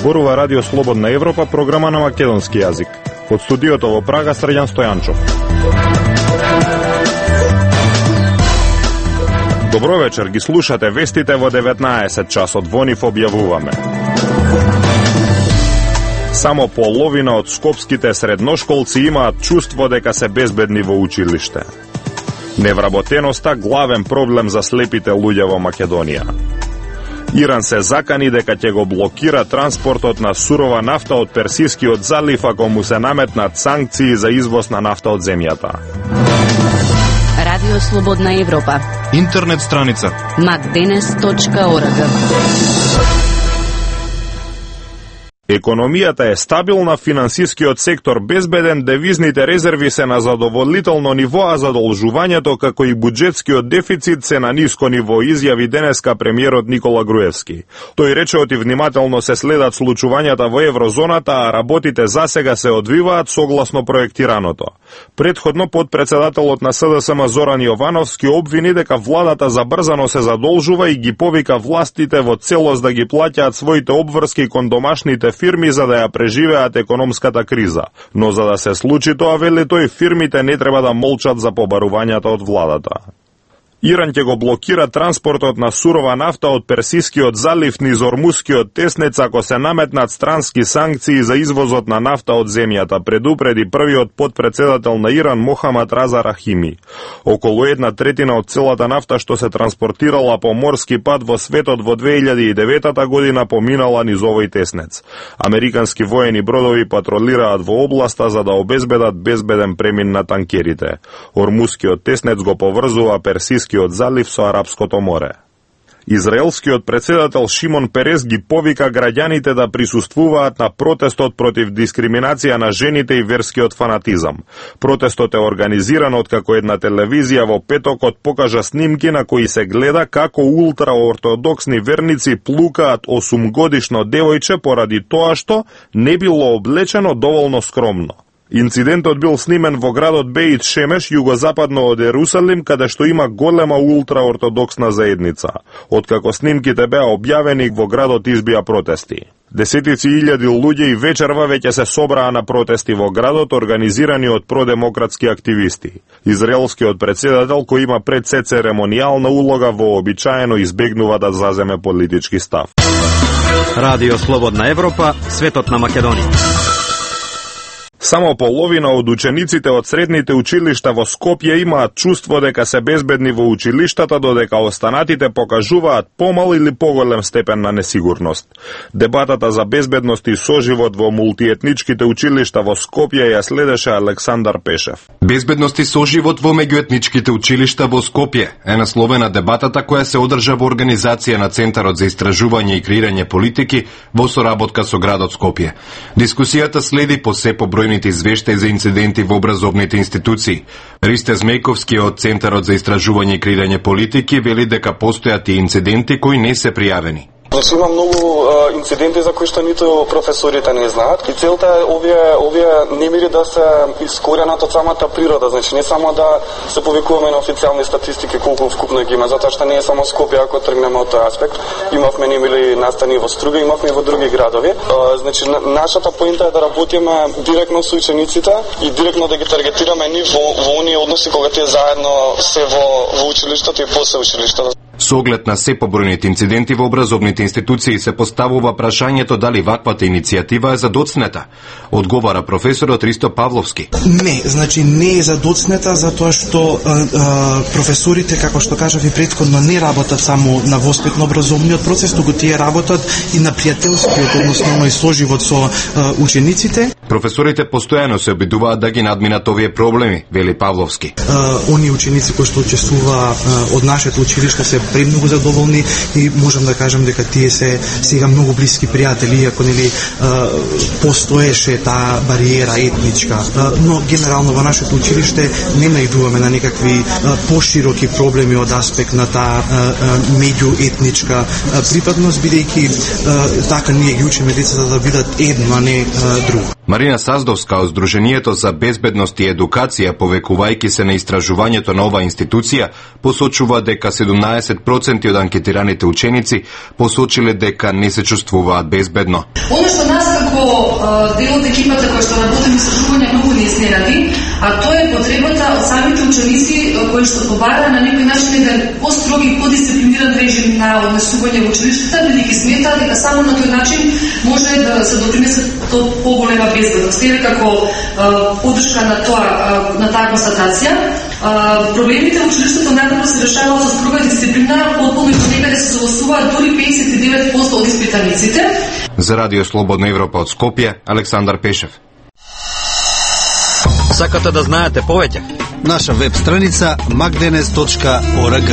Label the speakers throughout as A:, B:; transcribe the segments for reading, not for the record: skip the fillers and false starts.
A: Зборува Радио Слободна Европа, програма на македонски јазик. Од студиото во Прага, Срđan Стојанчов. Добро вечер, ги слушате вестите во 19 часот. Во нив објавуваме. Само половина од скопските средношколци имаат чувство дека се безбедни во училиште. Невработеноста главен проблем за слепите луѓе во Македонија. Иран се закани дека ќе го блокира транспортот на сурова нафта од Персискиот залив ако му се наметнат санкции за извоз на нафта од земјата.
B: Радио Слободна Европа.
C: Интернет страница
B: macdenes.org.
A: Економијата е стабилна, финансискиот сектор безбеден, девизните резерви се на задоволително ниво, а задолжувањето како и буџетскиот дефицит се на ниско ниво, изјави денеска премиерот Никола Груевски. Тој рече оти внимателно се следат случувањата во еврозоната, а работите засега се одвиваат согласно проектираното. Предходно подпредседателот на СДСМ Зоран Јовановски обвини дека владата забрзано се задолжува и ги повика властите во целост да ги плаќаат своите обврски кон домашните фирми за да ја преживеат економската криза. Но за да се случи тоа, вели тој, фирмите не треба да молчат за побарувањата од владата. Иран ќе го блокира транспортот на сурова нафта од Персискиот залив низ Ормускиот теснец ако се наметнат странски санкции за извозот на нафта од земјата, предупреди првиот подпредседател на Иран Мохамад Реза Рахими. Околу 1/3 од целата нафта што се транспортирала по морски пат во светот во 2009 година поминала низ овој теснец. Американски воени бродови патролираат во областа за да обезбедат безбеден премин на танкерите. Ормускиот теснец го поврзува Персискиот залив со Арапското море. Израелскиот председател Шимон Перес ги повика граѓаните да присуствуваат на протестот против дискриминација на жените и верскиот фанатизам. Протестот е организиран откако една телевизија во петокот покажа снимки на кои се гледа како ултраортодоксни верници плукаат 8-годишно девојче поради тоа што не било облечено доволно скромно. Инцидентот бил снимен во градот Беит Шемеш, југозападно од Ерусалим, каде што има голема ултраортодоксна заедница. Откако снимките беа објавени, во градот избија протести. Десетици илјади луѓе и вечерва веќе се собраа на протести во градот, организирани од продемократски активисти. Израелскиот председател, кој има пред се церемонијална улога, вообичаено избегнува да заземе политички став.
D: Радио Слободна Европа, светот на Македонија.
A: Само половина од учениците од средните училишта во Скопје имаат чувство дека се безбедни во училиштата, додека останатите покажуваат помал или поголем степен на несигурност. Дебатата за безбедност и соживот во мултиетничките училишта во Скопје ја следеше Александар Пешев.
C: Безбедност и соживот во меѓуетничките училишта во Скопје е насловена дебатата која се одржа во организација на Центарот за истражување и креирање политики во соработка со градот Скопје. Дискусијата следи по се побројните извештаи за инциденти во образовните институции. Ристе Змејковски од Центарот за истражување и креирање политики вели дека постојат и инциденти кои не се пријавени.
E: Значи има многу инциденти за кои што ниту професорите не знаат и целта е овие немири да се искоренат од самата природа, значи не само да се повикуваме на официјални статистики колку вкупно ги има, затоа што не е само Скопје ако тргнеме од тој аспект. Имавме немири настани во Струга, имавме и во други градови. Значи нашата поинта е да работиме директно со учениците и директно да ги таргетираме нив во оние односи кога тие заедно се во училиштето и после училиштето.
C: Со оглед на се побројните инциденти во образовните институции се поставува прашањето дали ваквата иницијатива е задоцнета. Одговара професорот Ристо Павловски.
F: Не, значи не е задоцнета затоа што професорите, како што кажав и претходно, не работат само на воспитно-образовниот процес, туку тие работат и на пријателскиот, односно и соживот со учениците.
C: Професорите постојано се обидуваат да ги надминат овие проблеми, вели Павловски.
F: Оние ученици кои што учествува од нашето училиште се премногу задоволни и можам да кажам дека тие се сега многу блиски пријатели, иако нели постоеше таа бариера етничка. Но генерално во нашето училиште не наидуваме на некакви пошироки проблеми од аспект на таа меѓуетничка припадност, бидејќи така ние ги учиме децата да бидат едно, а не друго.
C: Марина Саздовска од Сдруженијето за безбедност и едукација, повекувајќи се на истражувањето на оваа институција, посочува дека 17 60% од анкетираните ученици посочиле дека не се чувствуваат безбедно.
G: Оно што нас како дел од екипата која што работи на истражување многу не изненади, а тоа е потребата од самите ученици кои што побара на некој начин еден построги, подисциплиниран режим на однесување во училиштата, бидејќи сметаат дека само на тој начин може да се допринесе до поголема безбедност. Еве како поддршка на таа констатација, проблемите во училиштето најдобро се решаваат со строга дисциплина, потполно и понекаде се согласуваат дури 59% од испитаниците.
C: За Радио Слободна Европа од Скопје, Александар Пешев.
D: Сакате да знаете повеќе?
H: Наша веб страница magdenes.org.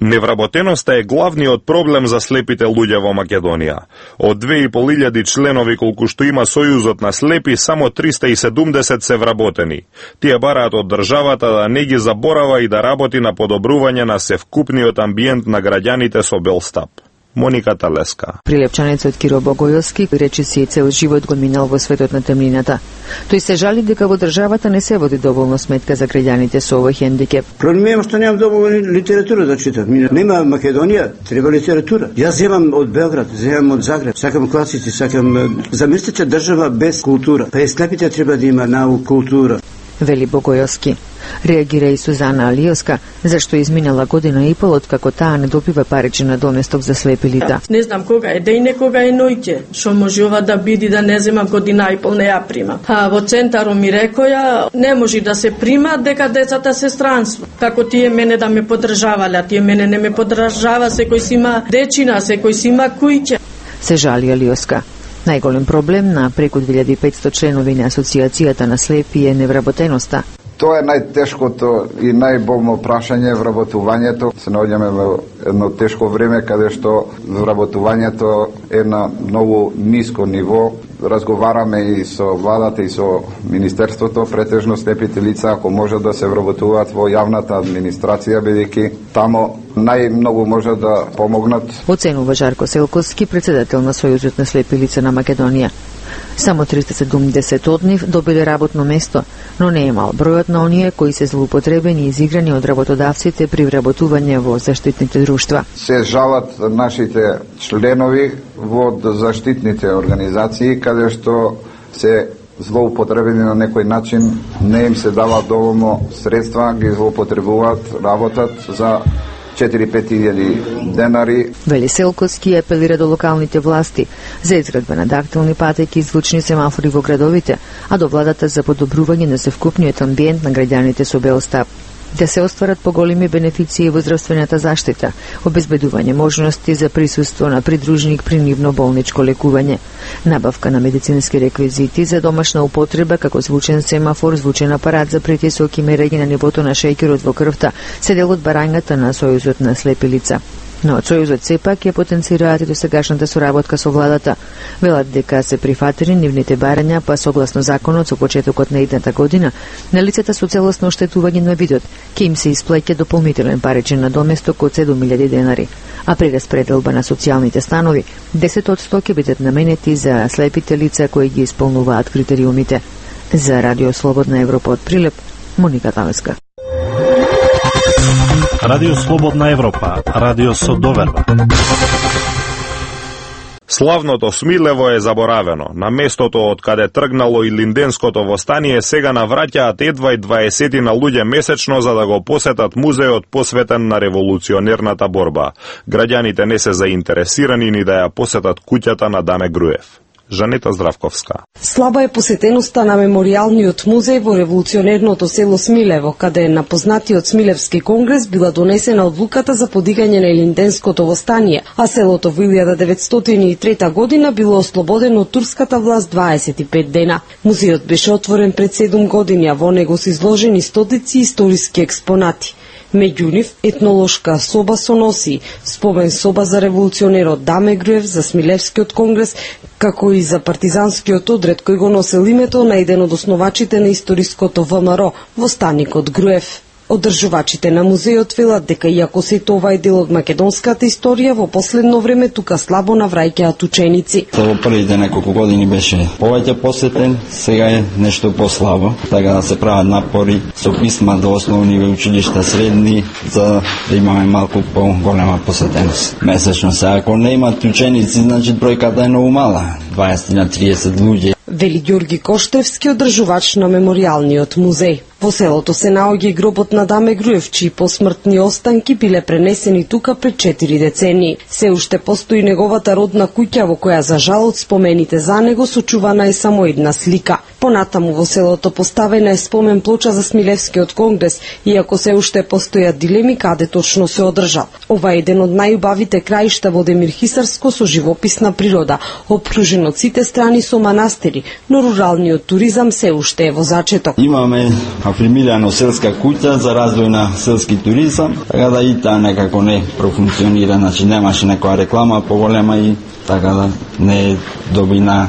A: Невработеноста е главниот проблем за слепите луѓе во Македонија. Од 2500 членови колку што има Сојузот на слепи, само 370 се вработени. Тие бараат од државата да не ги заборава и да работи на подобрување на севкупниот амбиент на граѓаните со бел стап. Моника Талеска.
I: Прилепчанецот Киро Богојовски рече си цел живот го минал во светот на темнината. Тој се жали дека во државата не се води доволно сметка за граѓаните со овој хендикеп.
J: Проблемот што немам доволно литература да читам. Нема Македонија, треба литература. Јас земам од Белград, земам од Загреб, сакам класици, сакам замислете држава без култура. Па и слепите треба да има наука, култура.
I: Вели Богојовски. Реагира и Сузана Алиоска, зашто изминала година и пол откако таа не добива паричен надоместок за слепи лица.
K: Не знам кога е ден, кога е ноќе, што може ова да биде да не зема година и пол не ја прима. Во центарот ми рекоја, не може да се прима дека децата се странство. Како тие мене да ме поддржавале, а тие мене не ме поддржава, секој си има дечина, секој си има кујќе.
I: Се жали Алиоска. Најголем проблем на преку 2500 членови на Асоциацијата на слепи е невработеноста.
L: Тоа е најтешкото и најболно прашање вработувањето. Се наоѓаме во едно тешко време каде што вработувањето е на многу ниско ниво. Разговараме и со владата и со министерството, претежно слепите лица ако можат да се вработуваат во јавната администрација, бидејќи тамо најмногу може да помогнат.
I: Оценува Жарко Селковски, председател на Сојузот на слепи лица на Македонија. Само 370 од нив добиле работно место, но не е мал бројот на оние кои се злоупотребени и изиграни од работодавците при вработување во заштитните друштва.
L: Се жалат нашите членови во заштитните организации, каде што се злоупотребени на некој начин, не им се дава доволно средства, ги злоупотребуваат, работат за 4-5 денари.
I: Вели Селковски апелира до локалните власти за изградба на дактилни патеки и звучни семафори во градовите, а до владата за подобрување на севкупниот амбиент на граѓаните со бел стап. Да се остварат поголеми бенефиции во здравствената заштита, обезбедување можности за присуство на придружник при нивно болничко лекување, набавка на медицински реквизити за домашна употреба како звучен семафор, звучен апарат за притисок и мерење на нивото на шеќерот во крвта, се дел од барањата на Сојузот на слепи лица. Но Сојузот сепак ја потенцираат и досегашната соработка со владата. Велат дека се прифатени нивните барања, па согласно законот со почетокот на идната година, на лицата со целосно оштетување на видот ќе им се исплаќа дополнителен паричен надоместок од 7000 денари. А при распределба на социјалните станови, 10% ќе бидат наменети за слепите лица кои ги исполнуваат критериумите. За Радио Слободна Европа од Прилеп, Моника Талеска.
M: Радио Слободна Европа, радио со доверба.
A: Славното Смилево е заборавено. На местото од каде тргнало и Линденското востание сега навраќаат едва и 20 на луѓе месечно за да го посетат музеот посветен на револуционерната борба. Граѓаните не се заинтересирани ни да ја посетат куќата на Даме Груев. Жанета Здравковска.
N: Слаба е посетеноста на мемориалниот музеј во револуционерното село Смилево, каде на познатиот Смилевски конгрес била донесена одлуката за подигање на Линденското востание, а селото во 1903 година било ослободено од турската власт 25 дена. Музејот беше отворен пред 7 години, а во него се изложени стотици историски експонати. Меѓу нив етнолошка соба со носи, спомен соба за револуционерот Даме Груев, за Смилевскиот конгрес, како и за партизанскиот одред кој го носел името на еден од основачите на историското ВМРО, востаникот Груев. Одржувачите на музејот велат дека иако сето ова е дел од македонската историја, во последно време тука слабо навраќаат ученици.
O: Во првите неколку години беше повеќе посетен, сега е нешто послабо, така да се прават напори со писма до основни училишта, средни, за да имаме малку поголема посетеност. Месечно се, ако не имат ученици, значи бројката е многу мала, 20 на 30 луѓе.
N: Вели Ѓорги Коштевски, одржувач на меморијалниот музеј. Во селото се наоѓа и гробот на Даме Груев, чии посмртни останки биле пренесени тука пред 4 децении. Се уште постои неговата родна куќа во која за жал од спомените за него сочувана е само една слика. Понатаму во селото поставена е спомен плоча за Смилевскиот конгрес, иако се уште постојат дилеми каде точно се одржал. Ова е еден од најубавите краишта во Демир Хисарско со живописна природа, опружен од сите страни со манастири, но руралниот туризам се уште е во зачеток.
O: Имаме афирмирано селска куќа за развој на селски туризам, така да и таа некако не профункционира, значи немаше некоја реклама поголема и така да не доби на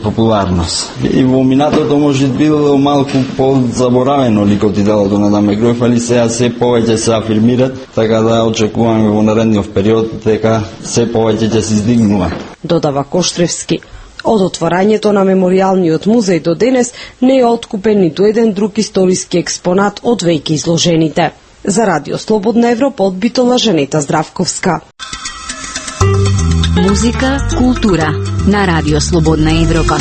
O: популарност. И во минатото може било малку позаборавено ликот и делото на Даме Груев, али сега се повеќе се афирмират, така да очекуваме во наредниот период дека се повеќе ќе се издигнува.
N: Додава Коштевски. Од отворањето на меморијалниот музеј до денес не е откупен ниту еден друг историски експонат од веќе изложените. За Радио Слободна Европа од Битола Жанета Здравковска.
B: Музика, култура на Радио Слободна Европа.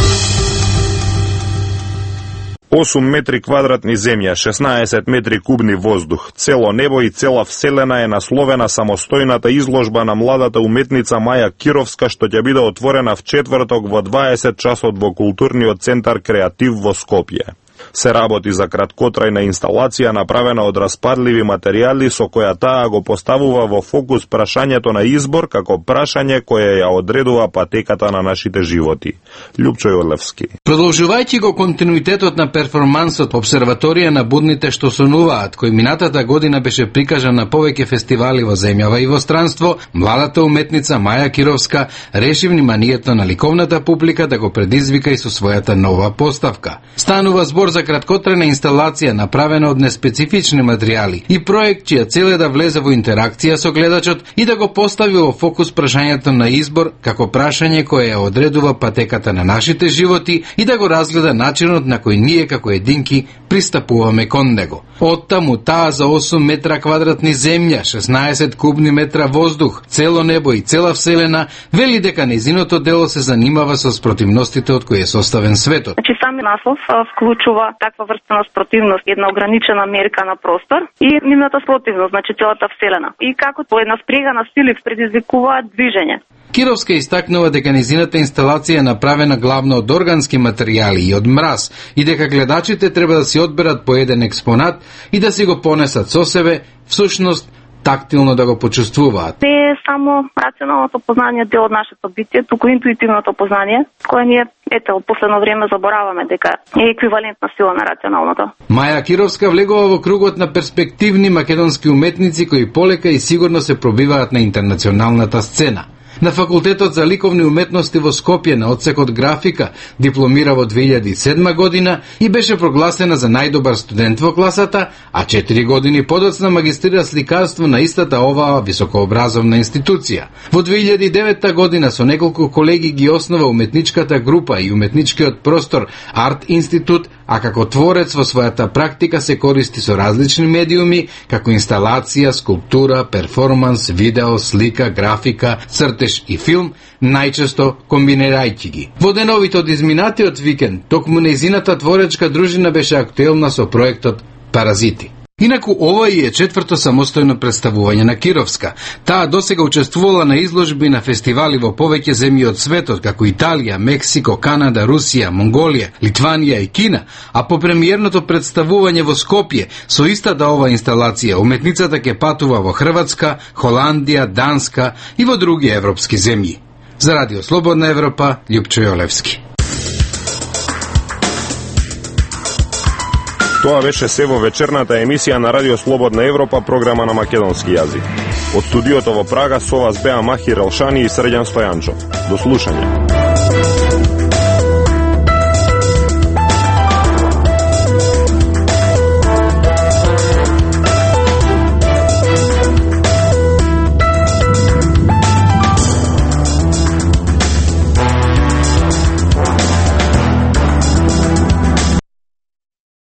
A: 8 метри квадратни земја, 16 метри кубни воздух, цело небо и цела вселена е насловена самостојната изложба на младата уметница Маја Кировска, што ќе биде отворена в четврток во 20 часот во културниот центар Креатив во Скопје. Се работи за краткотрајна инсталација направена од распадливи материјали со која таа го поставува во фокус прашањето на избор како прашање кое ја одредува патеката на нашите животи. Лјупчо Јолевски.
P: Продолжувајќи го континуитетот на перформансот Обсерваторија на будните што сонуваат, кој минатата година беше прикажан на повеќе фестивали во земјава и во странство, младата уметница Маја Кировска реши вниманието на ликовната публика да го предизвика и со својата нова поставка. Станува збор за краткотрајна инсталација направена од неспецифични материјали и проект чија цел е да влезе во интеракција со гледачот и да го постави во фокус прашањето на избор како прашање кое ја одредува патеката на нашите животи и да го разгледа начинот на кој ние како единки пристапуваме кон него. Оттаму таа за 8 метра квадратни земја, 16 кубни метра воздух, цело небо и цела вселена, вели дека нејзиното дело се занимава со спротивностите од кои е составен светот.
Q: Значи сами наслов вклучува таква врста на спротивност, една ограничена мерка на простор и нивната спротивност, значи целата вселена. И како по една спрега на сили предизвикуваат движење.
P: Кировска истакнува дека нејзината инсталација е направена главно од органски материјали и од мраз и дека гледачите треба да си одберат по еден експонат и да си го понесат со себе, всушност тактилно да го почувствуваат.
Q: Не е само рационалното познание дел од нашето битие, туку интуитивното познание, кое ние ето последно време забораваме дека е еквивалентна сила на рационалното.
P: Маја Кировска влегува во кругот на перспективни македонски уметници кои полека и сигурно се пробиваат на интернационалната сцена. На Факултетот за ликовни уметности во Скопје на одсекот графика дипломира во 2007 година и беше прогласена за најдобар студент во класата, а 4 години подоцна магистрира сликарство на истата оваа високообразовна институција. Во 2009 година со неколку колеги ги основа уметничката група и уметничкиот простор Арт Институт, а како творец во својата практика се користи со различни медиуми, како инсталација, скулптура, перформанс, видео, слика, графика, цртеж и филм, најчесто комбинирајќи ги. Во деновите од изминатиот викенд, токму нејзината творечка дружина беше актуелна со проектот Паразити. Инаку ова и е четврто самостојно представување на Кировска. Таа досега учествувала на изложби на фестивали во повеќе земји од светот, како Италија, Мексико, Канада, Русија, Монголија, Литванија и Кина, а по премиерното представување во Скопје, со истата ова инсталација, уметницата ќе патува во Хрватска, Холандија, Данска и во други европски земји. За Радио Слободна Европа, Лјупчо Јолевски.
A: Тоа беше се во вечерната емисија на Радио Слободна Европа, програма на македонски јазик. Од студиото во Прага со вас беа Махир Елшани и Срđan Стојанчов. До слушање.